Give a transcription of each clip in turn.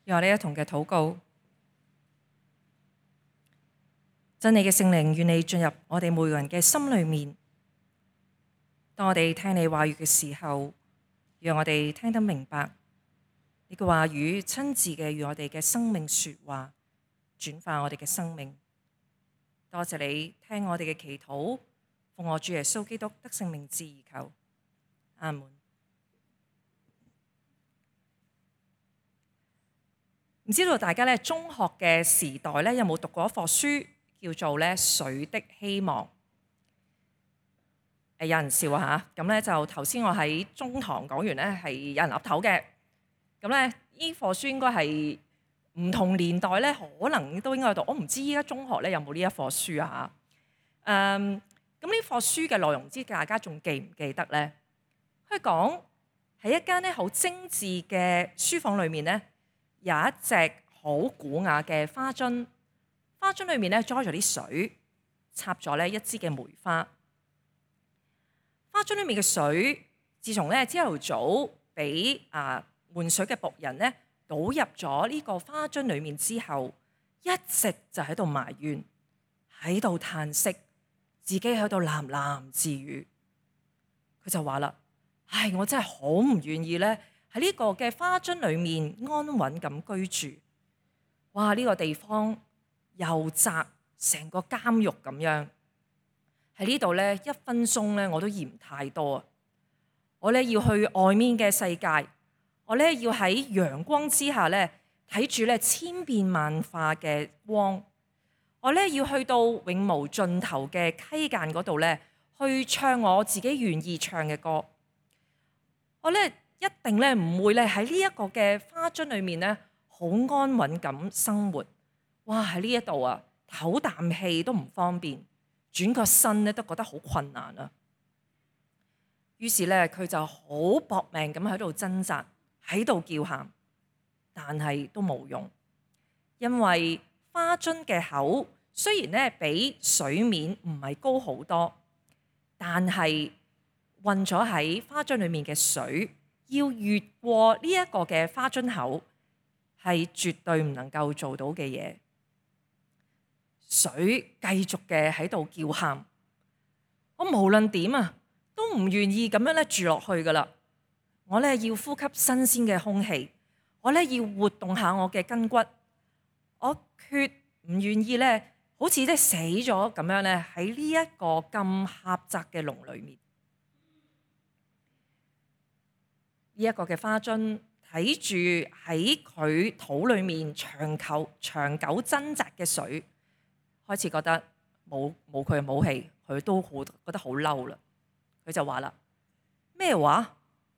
讓我哋一同嘅禱告，真理嘅聖靈願你進入我哋每個人嘅心裏面。當我哋聽你話語嘅時候，讓我哋聽得明白你嘅話語，親自嘅與我哋嘅生命說話，轉化我哋嘅生命。多謝你聽我哋嘅祈禱，奉我主耶穌基督得勝名字而求，阿門。唔知道大家中學嘅時代有冇讀過一課書叫做《水的希望》？有人笑啊嚇，咁就頭先我喺中堂講完係有人岌頭嘅。咁呢課書應該係唔同年代可能都應該有讀。我唔知依家中學有冇呢一課書啊嚇。咁呢課書嘅內容，唔知大家仲記唔記得呢？佢講喺一間好精緻嘅書房裏面有一隻好古雅嘅花樽，花樽裏面裝咗啲水，插咗一支嘅梅花。花樽裏面嘅水，自從朝頭早俾換水嘅僕人倒入咗呢個花樽裏面之後，一直就喺度埋怨，喺度嘆息，自己喺度喃喃自語。佢就話啦：唉，我真係好唔願意喺呢個嘅花樽裏面安穩咁居住。哇！呢個地方又窄，成個監獄咁樣。喺呢度一分鐘我都嫌太多啊！我要去外面嘅世界，我要喺陽光之下睇住千變萬化嘅光。我要去到永無盡頭嘅溪澗嗰度去唱我自己願意唱嘅歌。我一定唔會喺呢一個嘅花樽裏面好安穩咁生活。哇！喺呢一度啊，唞啖氣都唔方便，轉個身都覺得好困難啊。於是佢就好搏命咁喺度掙扎，喺度叫喊，但係都冇用，因為花樽嘅口雖然比水面唔係高好多，但係混咗喺花樽裏面嘅水，要越過呢一個嘅花樽口，係絕對唔能夠做到嘅嘢。水繼續嘅喺度叫喊，我無論點都唔願意咁樣住落去噶啦。我要呼吸新鮮嘅空氣，我要活動下我嘅筋骨，我決唔願意好似死咗咁樣喺呢一個咁狹窄嘅籠裏面。呢一個嘅花樽睇住喺佢肚裏面長久掙扎嘅水，開始覺得冇佢嘅武器，佢都覺得好嬲啦。佢就話啦：咩話？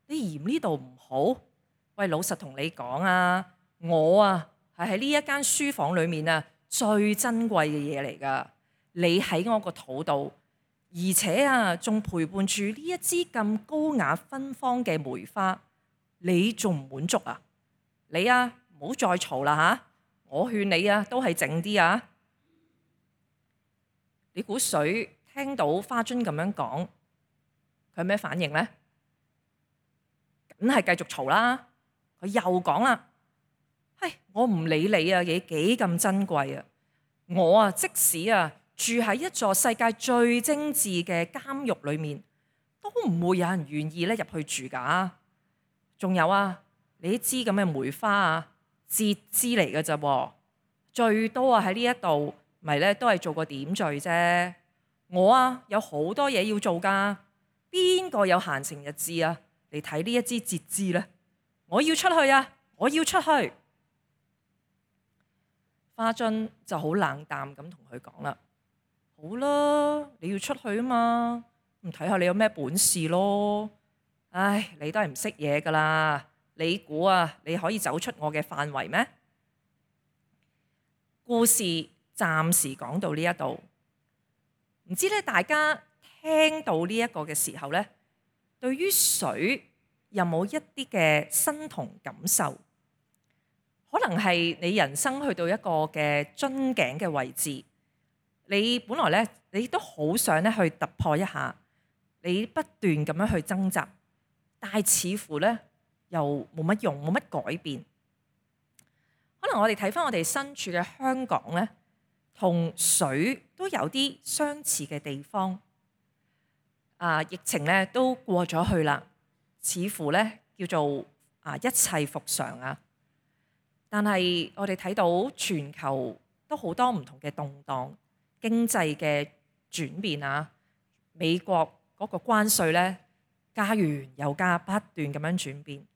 你嫌呢度唔好？喂，老實同你講啊，我係喺呢一間書房裏面最珍貴嘅嘢嚟㗎。你喺我個肚度，而且仲陪伴住呢一支咁高雅芬芳嘅梅花，你仲唔滿足啊？你唔好再嘈啦嚇！我勸你都係靜啲啊！你估水聽到花樽咁樣講，佢有咩反應呢？梗係繼續嘈啦！佢又講啦：我唔理你你幾咁珍貴啊！我即使住喺一座世界最精緻嘅監獄裏面，都唔會有人願意入去住㗎。仲有你支咁嘅梅花節支嚟嘅啫，最多喺呢一度咪都係做個點綴啫。我有好多嘢要做㗎，邊個有閒情逸致嚟睇呢一支節支呢？我要出去我要出去。花樽就好冷淡咁同佢講啦：好啦，你要出去啊嘛，咁睇下你有咩本事咯。唉，你都係唔識嘢㗎啦。你估你可以走出我嘅範圍咩？故事暫時講到呢一度，唔知大家聽到呢一個嘅時候對於水有冇一啲嘅身同感受？可能係你人生去到一個嘅樽頸嘅位置，你本來你都好想去突破一下，你不斷咁樣去掙扎，但係似乎又冇乜用，冇乜改變。可能我哋睇返我哋身處嘅香港咧，同水都有啲相似嘅地方。疫情咧都過咗去啦，似乎咧叫做一切復常啊。但係我哋睇到全球都好多唔同嘅動盪，經濟嘅轉變啊，美國嗰個關稅咧加完又加，不斷咁樣轉變，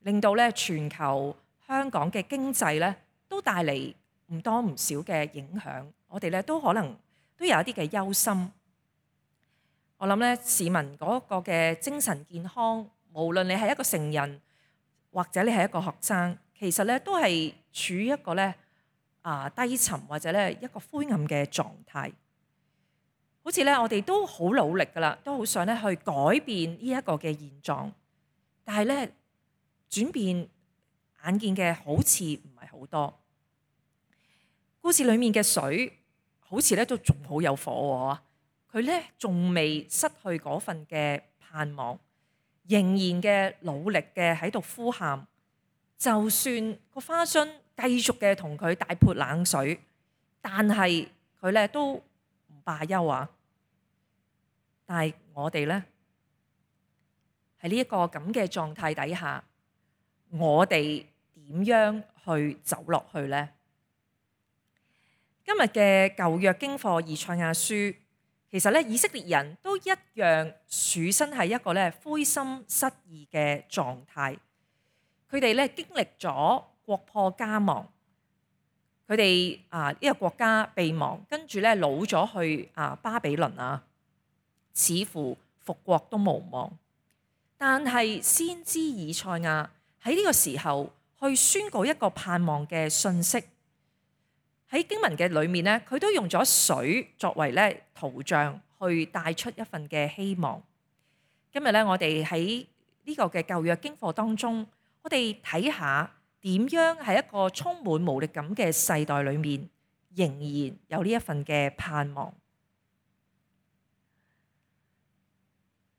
令到咧全球香港嘅經濟咧都帶嚟唔多唔少嘅影響。我哋咧都可能都有一啲嘅憂心。我諗咧市民嗰個嘅精神健康，無論你係一個成人或者你係一個學生，其實咧都係處於一個咧低沉或者咧一個灰暗嘅狀態。好似咧我哋都好努力噶啦，都好想咧去改變呢一個嘅現狀，但係咧轉變眼見嘅好似唔係好多。故事裡面嘅水好似咧都仲好有火喎，佢咧仲未失去嗰份嘅盼望，仍然嘅努力嘅喺度呼喊。就算個花樽繼續嘅同佢大潑冷水，但係佢咧都唔罷休啊！但係我哋咧喺呢一個咁嘅狀態底下，我哋點樣去走落去呢？今日嘅舊約經課以賽亞書，其實咧以色列人都一樣處身喺一個咧灰心失意嘅狀態。佢哋咧經歷咗國破家亡，佢哋呢個國家被亡，跟住咧擄咗去巴比倫啊，似乎復國都無望。但係先知以賽亞喺呢個時候去宣告一個盼望嘅信息。喺經文嘅裏面咧，佢都用咗水作為咧圖像，去帶出一份嘅希望。今日咧，我哋喺呢個嘅舊約經課當中，我哋睇下點樣喺一個充滿無力感嘅世代裏面，仍然有呢一份嘅盼望。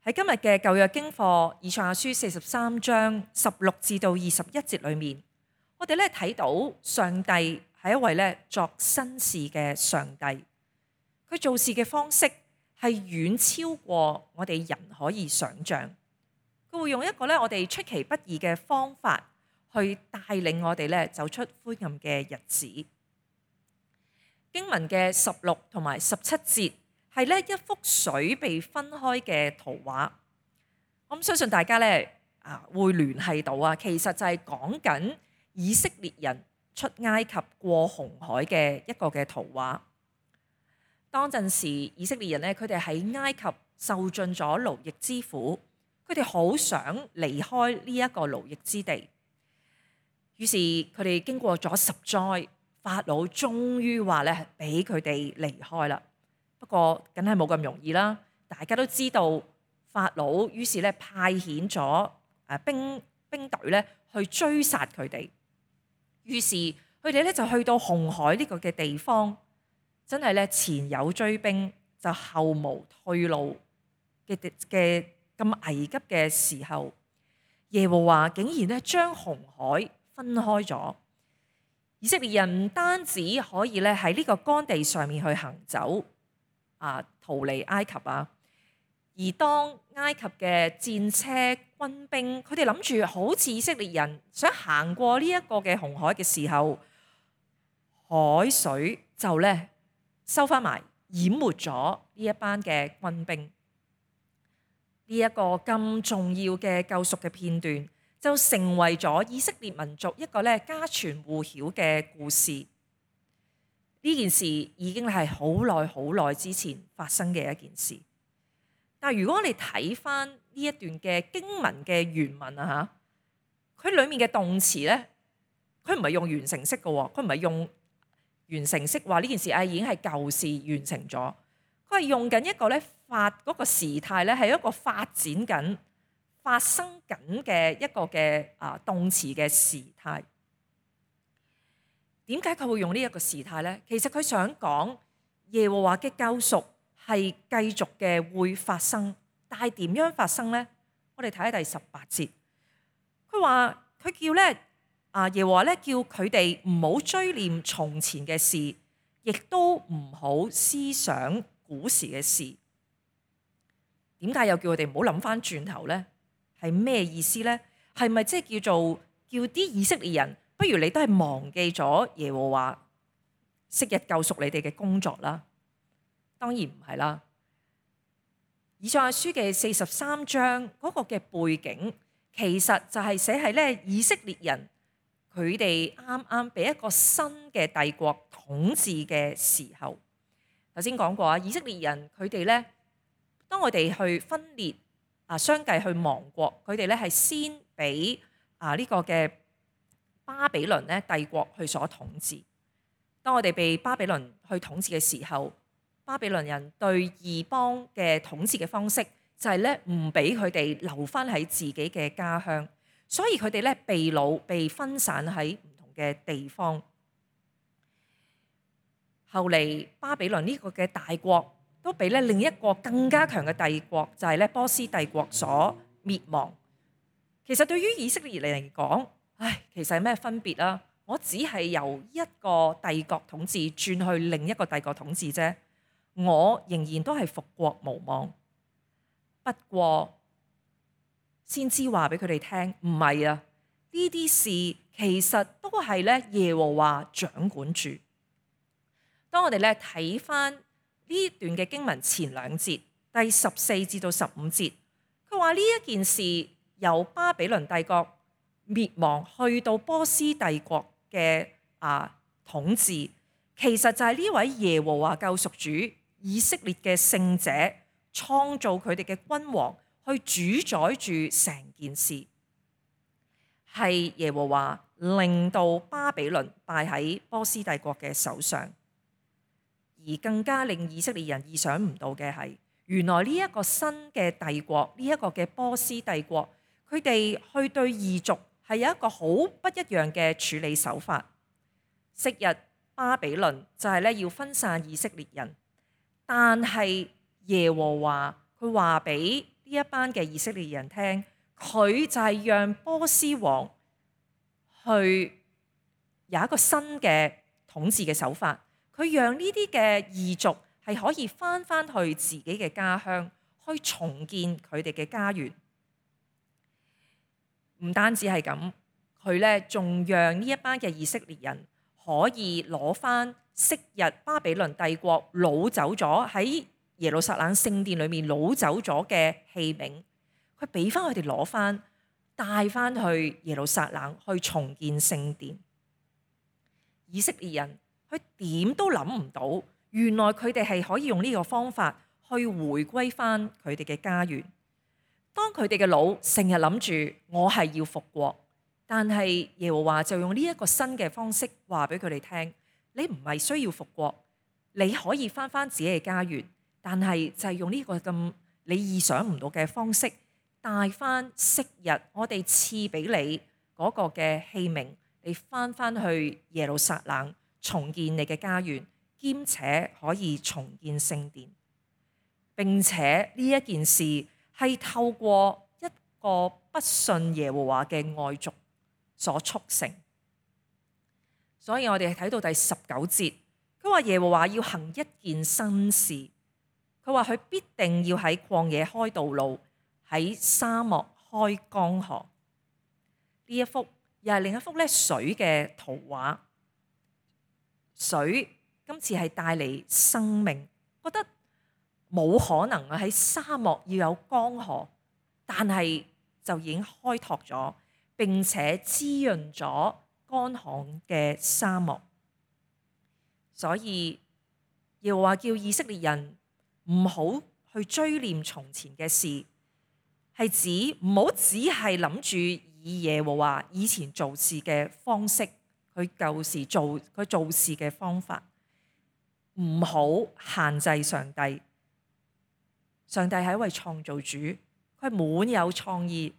喺今日嘅舊約經課以賽亞書43章16至到21節裏面，我哋咧睇到上帝係一位咧作新事嘅上帝，佢做事嘅方式係遠超過我哋人可以想象。佢會用一個咧我哋出其不意嘅方法去帶領我哋咧走出灰暗嘅日子。經文嘅16同埋17節係咧一幅水被分開嘅圖畫。我相信大家咧會聯繫到啊，其實就係講緊以色列人出埃及過紅海嘅一個嘅圖畫。當陣時以色列人咧，佢哋喺埃及受盡咗勞役之苦。佢哋好想離開呢一個勞役之地，於是佢哋經過咗10災，法老終於話咧俾佢哋離開啦。不過梗係冇咁容易啦，大家都知道法老於是咧派遣咗兵隊咧去追殺佢哋，於是佢哋咧就去到紅海呢個嘅地方，真係咧前有追兵就後無退路嘅咁危急嘅時候，耶和華竟然咧將紅海分開咗。以色列人唔單止可以咧喺呢個乾地上面去行走，逃離埃及啊，而當埃及嘅戰車軍兵，佢哋諗住好似以色列人想行過呢一個嘅紅海嘅時候，海水就咧收翻埋，淹沒咗呢一班嘅軍兵。呢一個咁重要嘅救贖嘅片段，就成為咗以色列民族一個咧家傳戶曉嘅故事。呢件事已經係好耐之前發生嘅一件事。但係如果我哋睇翻呢一段嘅經文嘅原文啊嚇，佢裡面嘅動詞咧，佢唔係用完成式嘅喎，佢唔係用完成式話呢件事已經係舊事完成咗。佢係用緊一個咧嗰個時態咧係一個發展緊、發生緊嘅一個嘅動詞嘅時態。點解佢會用呢一個時態咧？其實佢想講耶和華嘅救贖係繼續嘅會發生，但係點樣發生咧？我哋睇下第18節，佢話佢叫咧耶和華咧叫佢哋唔好追念從前嘅事，亦都唔好思想古時嘅事。點解又叫佢哋唔好諗翻轉頭呢？係咩意思呢？係咪即係叫啲以色列人，不如你都係忘記咗耶和華昔日救贖你哋嘅工作啦？當然唔係啦。以賽亞書嘅43章嗰個嘅背景，其實就係寫係咧以色列人佢哋啱啱俾一個新嘅帝國統治嘅時候。頭先講過啊，以色列人佢哋咧，當我哋去分裂相繼去亡國，佢哋咧係先俾呢個嘅巴比倫咧帝國去所統治。當我哋被巴比倫去統治嘅時候，巴比倫人對異邦嘅統治嘅方式就係咧唔俾佢哋留翻喺自己嘅家鄉，所以佢哋咧被擄被分散喺唔同嘅地方。後嚟巴比倫呢個嘅大國都俾咧另一個更加強嘅帝國，就係咧波斯帝國所滅亡。其實對於以色列嚟講，其實係咩分別啊？我只係由一個帝國統治轉去另一個帝國統治啫。我仍然都係復國無望。不過先知話俾佢哋聽，唔係啊，呢啲事其實都係咧耶和華掌管住。當我哋咧睇翻呢段嘅經文前兩節，第14至到15節，佢話呢一件事由巴比倫帝國滅亡去到波斯帝國嘅統治，其實就係呢位耶和華救贖主以色列嘅聖者創造佢哋嘅君王去主宰住成件事，係耶和華令到巴比倫敗喺波斯帝國嘅手上。而更加令以色列人意想唔到嘅係，原來呢一個新嘅帝國，呢一個嘅波斯帝國，佢哋去對異族係有一個好不一樣嘅處理手法。昔日巴比倫就係咧要分散以色列人，但係耶和華佢話俾呢一班嘅以色列人聽，佢就係讓波斯王去有一個新嘅統治嘅手法。佢讓呢啲嘅異族係可以翻去自己嘅家鄉，去重建佢哋嘅家園。唔單止係咁，佢咧仲讓呢一班嘅以色列人可以攞翻昔日巴比倫帝國擄走咗喺耶路撒冷聖殿裏面擄走咗嘅器皿，佢俾翻佢哋攞翻，帶翻去耶路撒冷去重建聖殿。以色列人佢點都諗唔到，原來佢哋係可以用呢個方法去回歸翻佢哋嘅家園。當佢哋嘅腦成日諗住我係要復國，但係耶和華就用呢一個新嘅方式話俾佢哋聽，你唔係需要復國，你可以翻自己嘅家園，但係就係用呢個咁你意想唔到嘅方式，帶翻昔日我哋賜俾你嗰個嘅器皿，你翻去耶路撒冷重建你嘅家園，兼且可以重建聖殿。並且呢一件事係透過一個不信耶和華嘅外族所促成。所以我哋睇到第19節，佢話耶和華要行一件新事，佢話佢必定要喺曠野開道路，喺沙漠開江河。呢一幅又係另一幅咧水嘅圖畫。水今次係帶嚟生命，覺得冇可能喺沙漠要有江河，但係就已經開拓咗，並且滋潤咗乾旱嘅沙漠。所以耶和華叫以色列人唔好去追念從前嘅事，係指唔好只係諗住以耶和華以前做事嘅方式，佢舊時佢做事嘅方法，唔好限制上帝。上帝係一位創造主，佢滿有創意，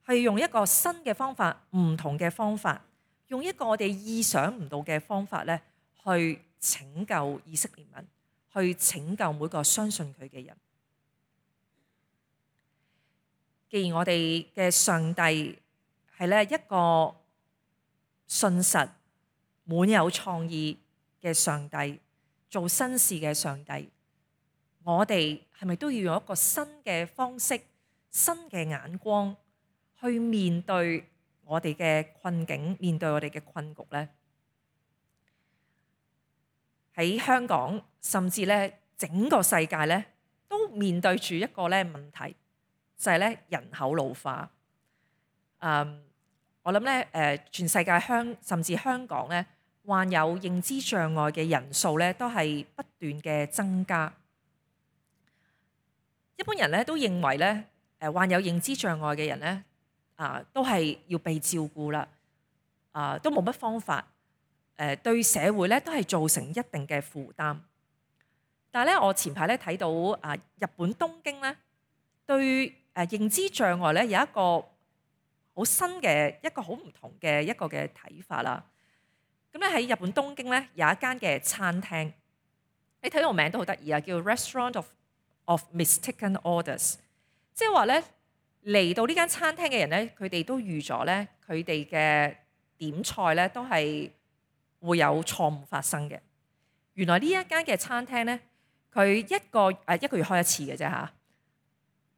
係用一個新嘅方法，唔同嘅方法，用一個我哋意想唔到嘅方法咧，去拯救以色列民，去拯救每個相信佢嘅人。既然我哋嘅上帝係咧一個信實、滿有創意嘅上帝，做新事嘅上帝，我哋係咪都要用一個新嘅方式、新嘅眼光去面對我哋嘅困境，面對我哋嘅困局呢？喺香港，甚至咧整個世界咧，都面對住一個咧問題，就係咧人口老化。我諗咧全世界甚至香港咧，患有認知障礙嘅人數咧，都係不斷嘅增加。一般人咧都認為咧，患有認知障礙嘅人咧，都係要被照顧啦，都冇乜方法。對社會咧都係造成一定嘅負擔，但係咧我前排咧睇到日本東京咧對認知障礙咧有一個好新嘅一個好唔同嘅一個嘅睇法啦。咁咧喺日本東京咧有一間嘅餐廳，你睇到個名都好得意啊，叫 Restaurant of Mistaken Orders， 即係話咧嚟到呢間餐廳嘅人咧，佢哋都預咗咧佢哋嘅點菜咧都係會有錯誤發生嘅。原來呢一間嘅餐廳咧，佢一個月開一次嘅啫嚇。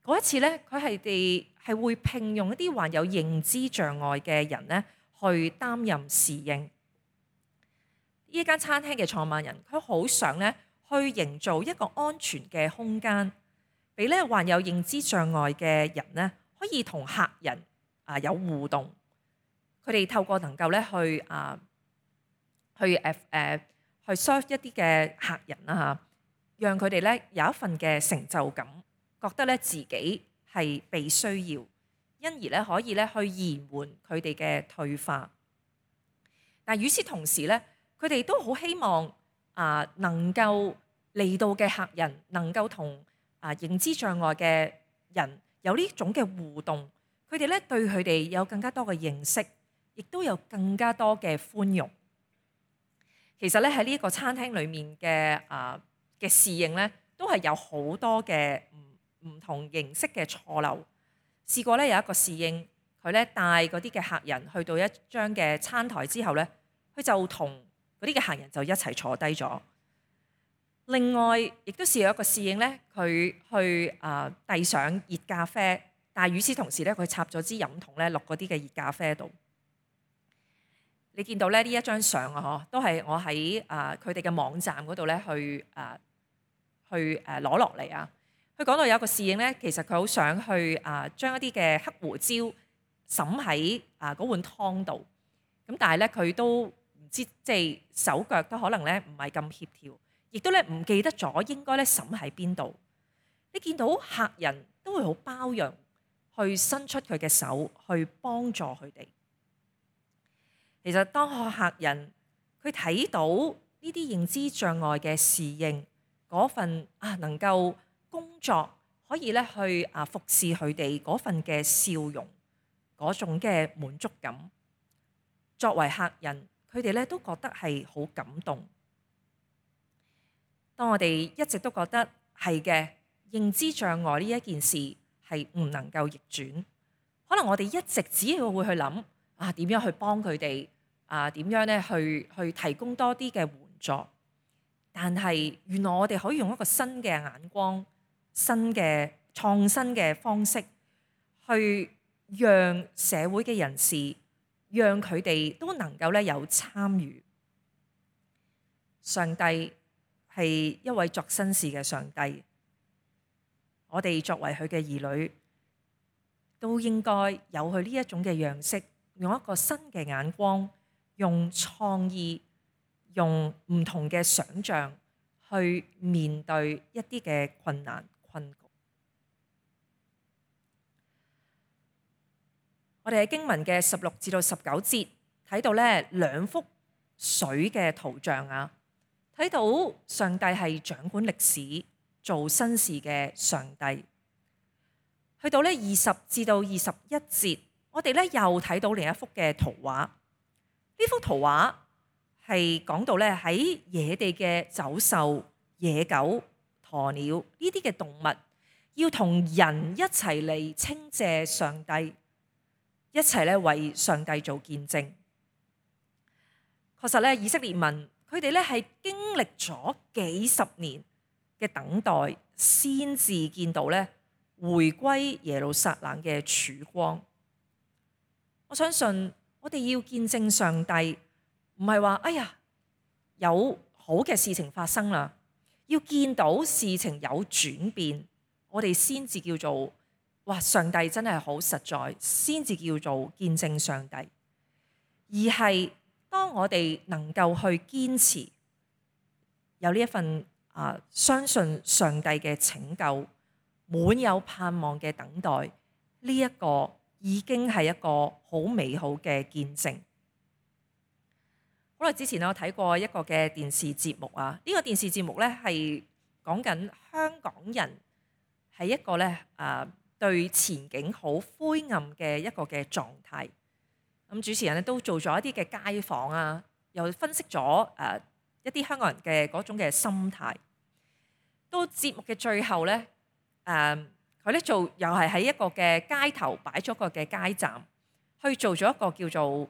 嗰一次咧，佢係會聘用一啲患有認知障礙嘅人咧，去擔任侍應。呢一間餐廳嘅創辦人，佢好想咧去營造一個安全嘅空間，俾咧患有認知障礙嘅人咧，可以同客人有互動。佢哋透過能夠咧去 serve 一啲嘅客人啦嚇，讓佢哋咧有一份嘅成就感，覺得咧自己係被需要，因而咧可以咧去延緩佢哋嘅退化。但係與此同時咧，佢哋都好希望能夠嚟到嘅客人能夠同認知障礙嘅人有呢種嘅互動，佢哋咧對佢哋有更加多嘅認識，亦都有更加多嘅寬容。其實咧喺呢一個餐廳裏面嘅侍應咧，都係有好多嘅唔同形式嘅錯漏。試過咧有一個侍應，佢咧帶嗰啲嘅客人去到一張嘅餐台之後咧，佢就同嗰啲嘅客人就一齊坐低咗。另外，亦都試過一個侍應咧，佢去遞上熱咖啡，但係與此同時咧，佢插咗支飲筒咧落嗰啲嘅熱咖啡度。你見到咧呢一張相都係我喺佢哋嘅網站嗰度咧去攞落嚟啊。佢講到有一個侍應咧，其實佢好想去將一啲嘅黑胡椒滲喺嗰碗湯度，咁但係咧佢都唔知，即係手腳都可能咧唔係咁協調，亦都咧唔記得咗應該咧滲喺邊度。你見到客人都會好包容，去伸出佢嘅手去幫助佢哋。其實當客人佢睇到呢啲認知障礙嘅侍應嗰份能夠工作可以咧去服侍佢哋嗰份嘅笑容，嗰種嘅滿足感，作為客人佢哋咧都覺得係好感動。當我哋一直都覺得係嘅，認知障礙呢一件事係唔能夠逆轉，可能我哋一直只係會去諗點樣去幫佢哋點樣咧去提供多啲嘅援助，但係原來我哋可以用一個新嘅眼光、新嘅創新嘅方式，去讓社會嘅人士，讓佢哋都能夠咧有參與。上帝係一位作新事嘅上帝，我哋作為佢嘅兒女，都應該有佢呢一種嘅樣式，用一個新嘅眼光，用創意，用唔同嘅想像去面對一啲嘅困難困局。我哋喺經文嘅16至到19節睇到咧兩幅水嘅圖像啊，睇到上帝係掌管歷史、做新事嘅上帝。去到咧20至到21節，我哋咧又睇到另一幅嘅圖畫。呢幅圖畫係講到咧喺野地嘅走獸、野狗、鴕鳥呢啲嘅動物，要同人一齊嚟稱謝上帝，一齊咧為上帝做見證。確實咧，以色列民佢哋咧係經歷咗幾十年嘅等待，先至見到咧回歸耶路撒冷嘅曙光。我相信我哋要見證上帝，唔係話哎呀有好嘅事情發生啦，要見到事情有轉變，我哋先至叫做哇上帝真係好實在，先至叫做見證上帝。而係當我哋能夠去堅持有呢一份相信上帝嘅拯救，滿有盼望嘅等待，呢一個已經係一個好美好嘅見證。好耐之前我睇過一個嘅電視節目啊，呢個電視節目咧係講緊香港人係一個咧對前景好灰暗嘅一個嘅狀態。咁主持人咧都做咗一啲嘅街訪啊，又分析咗一啲香港人嘅嗰種嘅心態。到節目嘅最後咧，佢咧又係喺一個嘅街頭擺咗個嘅街站，去做咗一個叫做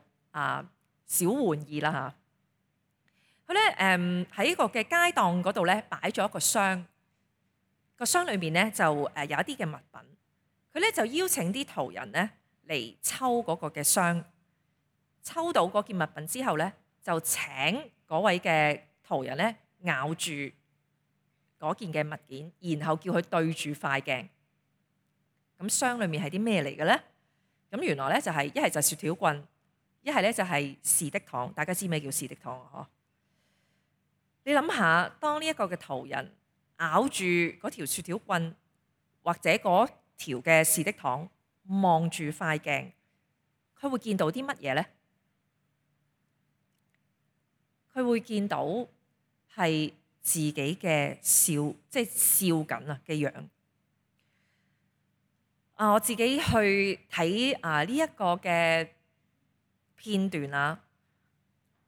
小玩意啦嚇。佢咧喺一個嘅街檔嗰度咧擺咗一個箱，個箱裏面咧就有一啲嘅物品。佢咧就邀請啲途人咧嚟抽嗰個嘅箱，抽到嗰件物品之後咧，就請嗰位嘅途人咧咬住嗰件嘅物件，然後叫佢對住塊鏡。咁箱裏面係啲咩嚟嘅咧？咁原來咧就係一係就雪條棍，一係咧就係士的糖。大家知咩叫士的糖啊？你諗下，當呢一個嘅途人咬住嗰條雪條棍或者嗰條嘅士的糖，望住塊鏡，佢會見到啲乜嘢咧？佢會見到係自己嘅笑，即係笑緊啊嘅樣。我自己去睇呢一個嘅片段啊，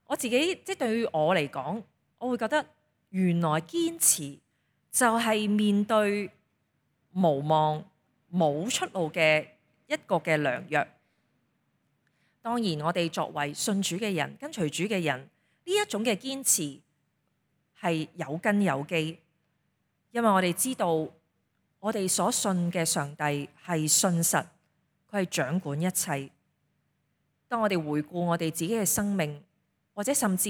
我自己即係對於我嚟講，我會覺得原來堅持就係面對無望冇出路嘅一個嘅良藥。當然，我哋作為信主嘅人、跟隨主嘅人，呢一種嘅堅持係有根有基，因為我哋知道我哋所信嘅上帝係信實，佢係掌管一切。當我哋回顧我哋自己嘅生命，或者甚至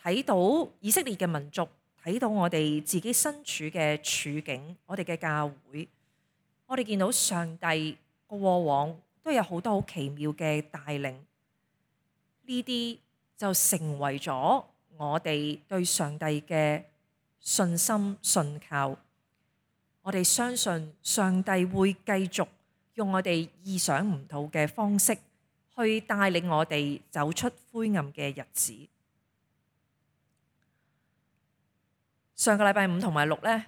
睇到以色列嘅民族，睇到我哋自己身處嘅處境，我哋嘅教會，我哋見到上帝過往都有好多好奇妙嘅帶領，呢啲就成為咗我哋對上帝嘅信心信靠。我哋相信上帝會繼續用我哋意想唔到嘅方式去帶領我哋走出灰暗嘅日子。上個禮拜五同埋六咧，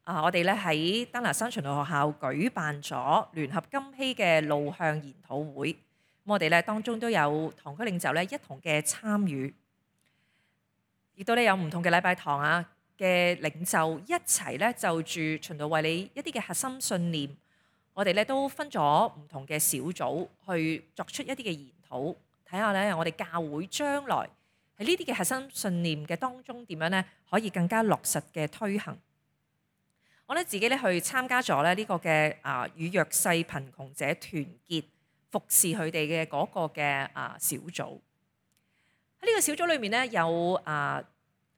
我哋咧喺丹拿山循道學校舉辦咗聯合金禧嘅路向研討會。咁我哋咧當中都有堂區領袖咧一同嘅參與，亦都咧有唔同嘅禮拜堂嘅領袖一齊咧就住循道衛理一啲嘅核心信念，我哋咧都分咗唔同嘅小組去作出一啲嘅研討，睇下咧我哋教會將來喺呢啲嘅核心信念嘅當中點樣咧可以更加落實嘅推行。我咧自己咧去參加咗咧呢個嘅與弱勢貧窮者團結服侍佢哋嘅嗰個嘅小組。喺呢個小組裏面咧有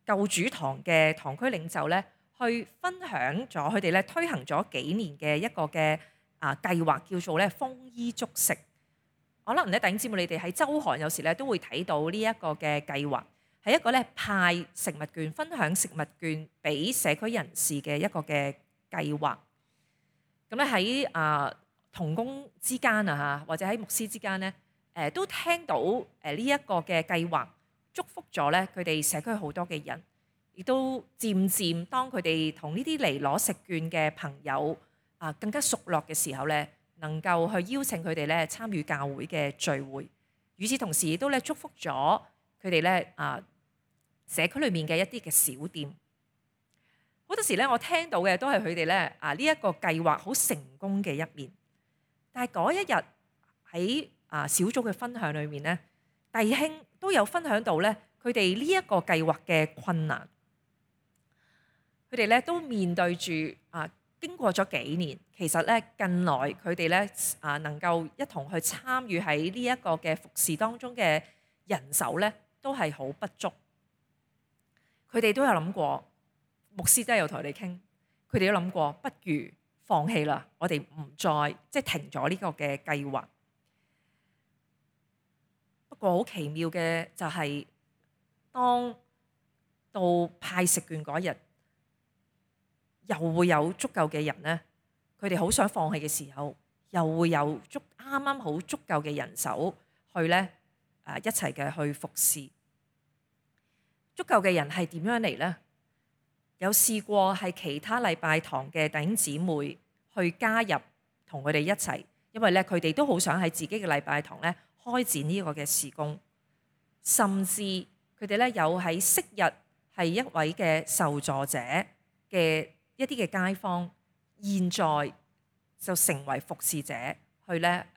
舊主堂嘅堂區領袖咧，去分享咗佢哋咧推行咗幾年嘅一個嘅計劃，叫做咧豐衣足食。可能咧弟兄姊妹，你哋喺週刊有時咧都會睇到呢一個嘅計劃，係一個咧派食物券、分享食物券俾社區人士嘅一個嘅計劃。咁咧喺同工之間或者喺牧師之間咧，都聽到呢一個嘅計劃。祝福咗咧佢哋社區好多嘅人，亦都漸漸當佢哋同呢啲嚟攞食券嘅朋友更加熟絡嘅時候咧，能夠去邀請佢哋咧參與教會嘅聚會。與此同時，亦都咧祝福咗佢哋咧社區裏面嘅一啲嘅小店。好多時咧，我聽到嘅都係佢哋咧呢一個計劃好成功嘅一面。但係嗰一日喺小組嘅分享裏面咧，弟兄都有分享到咧佢哋呢一個計劃嘅困難。佢哋咧都面對住經過咗幾年，其實咧近來佢哋咧能夠一同去參與喺呢一個嘅服侍當中嘅人手咧，都係好不足。佢哋都有諗過，牧師都有同佢哋傾，佢哋都諗過，不如放棄啦，我哋唔再即係停咗呢個嘅計劃。不過好奇妙嘅就係，當到派食券嗰日，又會有足夠嘅人咧，佢哋好想放棄嘅時候，又會有啱啱好足夠嘅人手去咧一齊嘅去服侍。足夠嘅人係點樣嚟呢？有試過係其他禮拜堂嘅弟兄姊妹去加入同佢哋一齊，因為咧佢哋都好想喺自己嘅禮拜堂咧開展呢個嘅事工，甚至佢哋咧有喺昔日係一位嘅受助者嘅一啲嘅街坊，現在就成為服侍者，去咧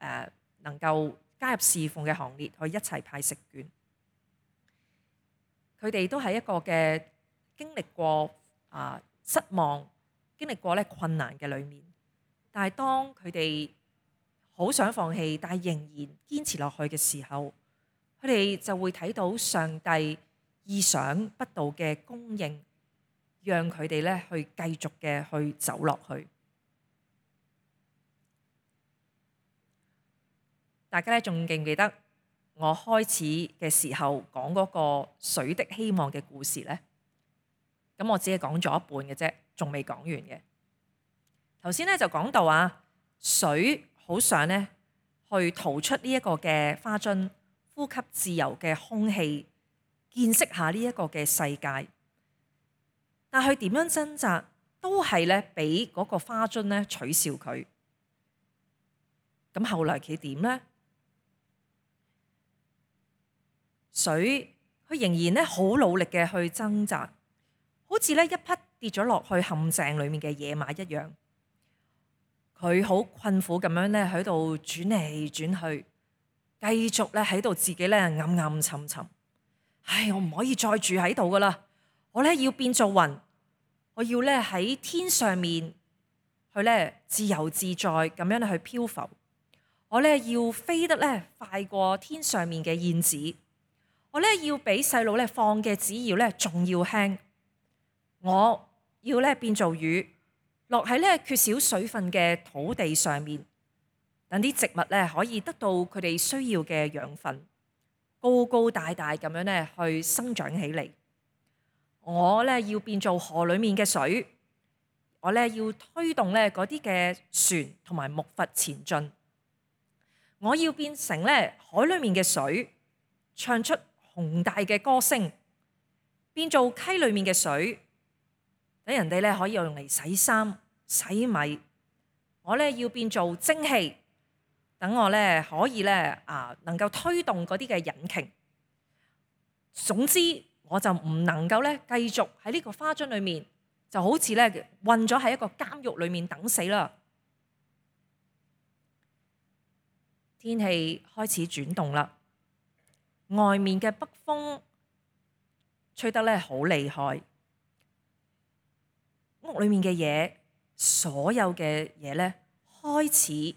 能夠加入侍奉嘅行列，去一齊派食券。佢哋都係一個嘅經歷過失望，經歷過咧困難嘅裏面，但係當佢哋好想放棄，但係仍然堅持落去嘅時候，佢哋就會睇到上帝意想不到嘅供應，讓佢哋咧去繼續嘅去走落去。大家咧仲記唔記得我開始嘅時候講嗰個水的希望嘅故事呢？咁我只係講咗一半嘅啫，仲未講完嘅。頭先咧就講到水好想咧去逃出呢一個嘅花樽，呼吸自由嘅空氣，見識下呢一個嘅世界。但係點樣掙扎，都係咧俾嗰個花樽咧取笑佢。咁後來佢點呢？水佢仍然咧好努力嘅去掙扎，好似咧一匹跌咗落去陷阱裏面嘅野馬一樣。佢好困苦咁樣咧喺度轉嚟轉去，繼續咧喺度自己咧暗暗沉沉。唉，我唔可以再住喺度噶啦，我咧要變做雲，我要咧喺天上面去咧自由自在咁樣去漂浮。我咧要飛得咧快過天上面嘅燕子。我咧要比細路咧放嘅紙鷂咧仲要輕，我要咧變做雨，落喺咧缺少水分嘅土地上面，等啲植物咧可以得到佢哋需要嘅養分，高高大大咁樣咧去生長起嚟。我咧要變做河裡面嘅水，我咧要推動咧嗰啲嘅船同埋木筏前進。我要變成咧海裡面嘅水，唱出宏大嘅歌聲，變做溪裏面嘅水，等人哋咧可以用嚟洗衫、洗米。我咧要變做蒸汽，等我咧可以咧能夠推動嗰啲嘅引擎。總之，我就唔能夠咧繼續喺呢個花樽裏面，就好似咧困咗喺一個監獄裏面等死啦。天氣開始轉動啦。外面嘅北風吹得咧好厲害，屋裏面嘅嘢，所有嘅嘢咧開始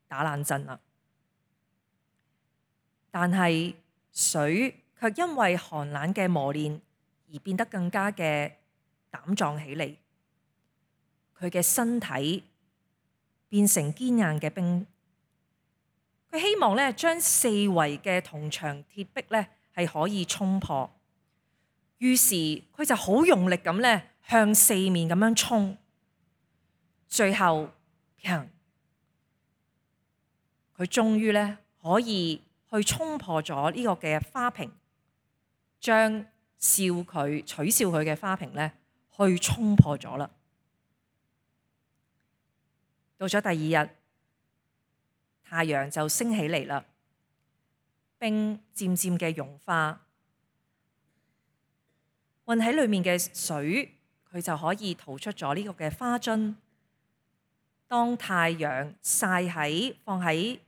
打冷震啦。但係水卻因為寒冷嘅磨練而變得更加嘅膽壯起嚟，佢嘅身體變成堅硬嘅冰。佢希望咧將四圍嘅銅牆鐵壁咧係可以衝破，於是佢就好用力咁咧向四面咁樣衝，最後佢終於咧可以去衝破咗呢個嘅花瓶，將取笑佢嘅花瓶咧去衝破咗啦。到咗第二日，太陽就升起嚟啦，冰漸漸嘅融化，混喺裏面嘅水，佢就可以逃出咗呢個嘅花樽。當太陽曬喺放喺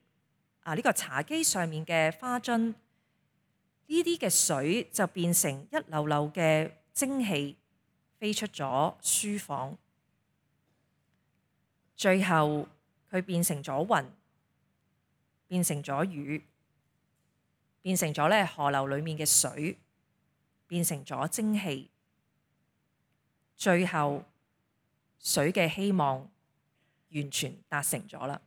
呢個茶几上面嘅花樽，呢啲嘅水就變成一流流嘅蒸氣飛出咗書房，最後佢變成咗雲，變成咗雨，變成咗咧河流裡面嘅水，變成咗蒸氣，最後水嘅希望完全達成咗啦。